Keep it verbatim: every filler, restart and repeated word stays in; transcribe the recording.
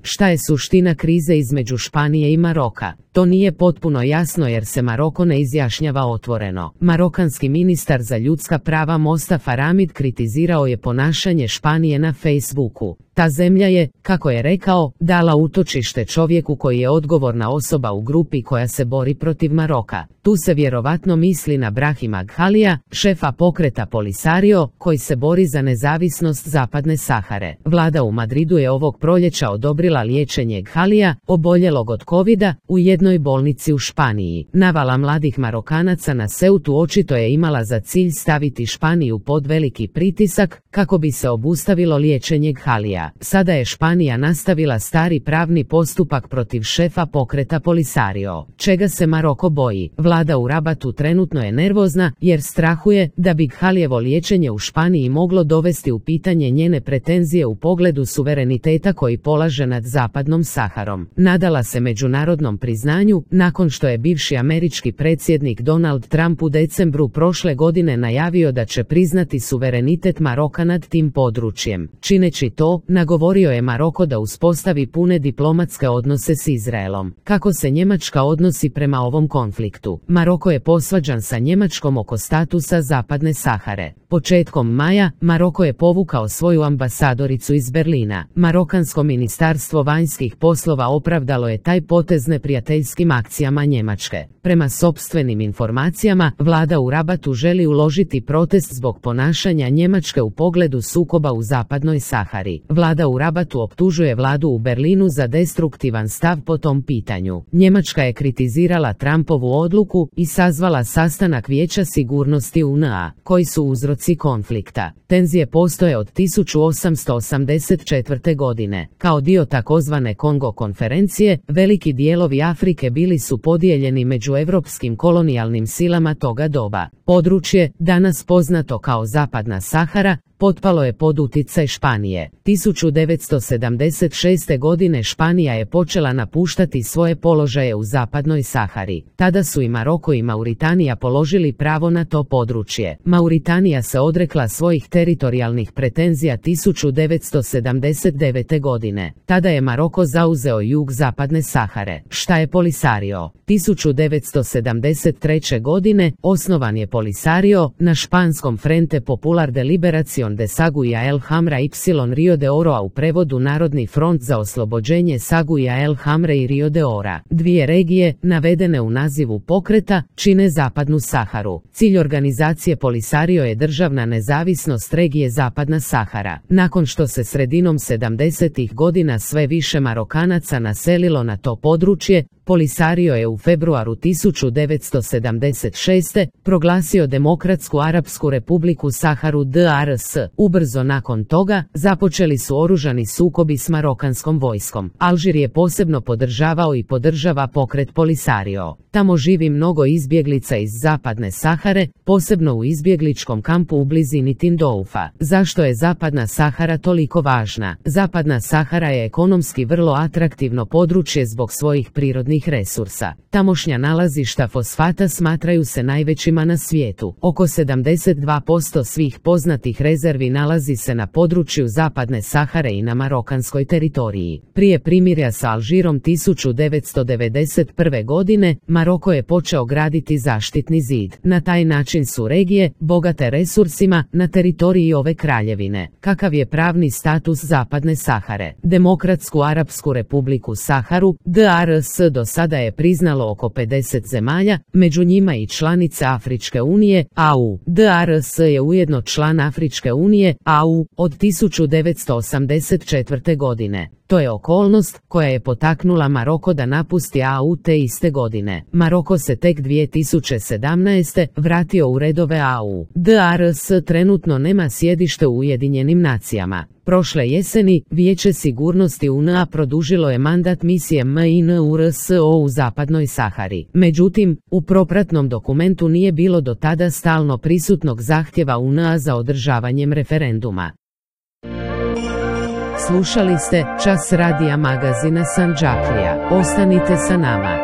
Šta je suština krize između Španije i Maroka? To nije potpuno jasno jer se Maroko ne izjašnjava otvoreno. Marokanski ministar za ljudska prava Mostafa Ramid kritizirao je ponašanje Španije na Facebooku. Ta zemlja je, kako je rekao, dala utočište čovjeku koji je odgovorna osoba u grupi koja se bori protiv Maroka. Tu se vjerovatno misli na Brahima Ghalija, šefa pokreta Polisario, koji se bori za nezavisnost Zapadne Sahare. Vlada u Madridu je ovog proljeća odobrila liječenje Ghalija, oboljelog od kovida, u jednoj bolnici u Španiji. Navala mladih Marokanaca na Ceutu očito je imala za cilj staviti Španiju pod veliki pritisak, kako bi se obustavilo liječenje Ghalija. Sada je Španija nastavila stari pravni postupak protiv šefa pokreta Polisario. Čega se Maroko boji? Vlada u Rabatu trenutno je nervozna jer strahuje da bi Ghalijevo liječenje u Španiji moglo dovesti u pitanje njene pretenzije u pogledu suvereniteta koji polaže nad Zapadnom Saharom. Nadala se međunarodnom priznanju nakon što je bivši američki predsjednik Donald Trump u decembru prošle godine najavio da će priznati suverenitet Maroka nad tim područjem. Čineći to, nagovorio je Maroko da uspostavi pune diplomatske odnose s Izraelom. Kako se Njemačka odnosi prema ovom konfliktu? Maroko je posvađan sa Njemačkom oko statusa Zapadne Sahare. Početkom maja, Maroko je povukao svoju ambasadoricu iz Berlina. Marokansko ministarstvo vanjskih poslova opravdalo je taj potez neprijateljskim akcijama Njemačke. Prema sopstvenim informacijama, vlada u Rabatu želi uložiti protest zbog ponašanja Njemačke u pogledu sukoba u Zapadnoj Sahari. Vlada u Rabatu optužuje vladu u Berlinu za destruktivan stav po tom pitanju. Njemačka je kritizirala Trumpovu odluku i sazvala sastanak Vijeća sigurnosti U N A, koji su uzroci konflikta. Tenzije postoje od tisuću osamsto osamdeset četvrte. godine. Kao dio takozvane Kongo konferencije, veliki dijelovi Afrike bili su podijeljeni među evropskim kolonijalnim silama toga doba. Područje, danas poznato kao Zapadna Sahara, potpalo je pod utjecaj Španije. tisuću devetsto sedamdeset šeste. godine Španija je počela napuštati svoje položaje u Zapadnoj Sahari. Tada su i Maroko i Mauritanija položili pravo na to područje. Mauritanija se odrekla svojih teritorijalnih pretenzija tisuću devetsto sedamdeset devete. godine. Tada je Maroko zauzeo jug Zapadne Sahare. Šta je Polisario? tisuću devetsto sedamdeset treće. godine osnovan je Polisario na španskom Frente Popular de Liberación de Saguia el Hamra y Rio de Oro, a u prevodu Narodni front za oslobođenje Saguia el Hamre i Rio de Ora. Dvije regije, navedene u nazivu pokreta, čine Zapadnu Saharu. Cilj organizacije Polisario je državna nezavisnost regije Zapadna Sahara. Nakon što se sredinom sedamdesetih godina sve više Marokanaca naselilo na to područje, Polisario je u februaru tisuću devetsto sedamdeset šeste. proglasio Demokratsku Arapsku Republiku Saharu D R S. Ubrzo nakon toga, započeli su oružani sukobi s marokanskom vojskom. Alžir je posebno podržavao i podržava pokret Polisario. Tamo živi mnogo izbjeglica iz Zapadne Sahare, posebno u izbjegličkom kampu u blizini Tindoufa. Zašto je Zapadna Sahara toliko važna? Zapadna Sahara je ekonomski vrlo atraktivno područje zbog svojih prirodnih resursa. Tamošnja nalazišta fosfata smatraju se najvećima na svijetu. Oko sedamdeset dva posto svih poznatih rezervi nalazi se na području Zapadne Sahare i na marokanskoj teritoriji. Prije primirja sa Alžirom tisuću devetsto devedeset prve. godine, Maroko je počeo graditi zaštitni zid. Na taj način su regije, bogate resursima, na teritoriji ove kraljevine. Kakav je pravni status Zapadne Sahare? Demokratsku Arapsku Republiku Saharu, D R S, do sada je priznalo oko pedeset zemalja, među njima i članice Afričke unije, A U. D R S je ujedno član Afričke unije, A U, od tisuću devetsto osamdeset četvrte. godine. To je okolnost koja je potaknula Maroko da napusti A U te iste godine. Maroko se tek dvije tisuće sedamnaeste. vratio u redove A U. D R S trenutno nema sjedište u Ujedinjenim nacijama. Prošle jeseni, Vijeće sigurnosti U N A produžilo je mandat misije MINURSO u Zapadnoj Sahari. Međutim, u propratnom dokumentu nije bilo do tada stalno prisutnog zahtjeva U N A za održavanjem referenduma. Slušali ste Čas radija magazina Sandžaklija. Ostanite sa nama.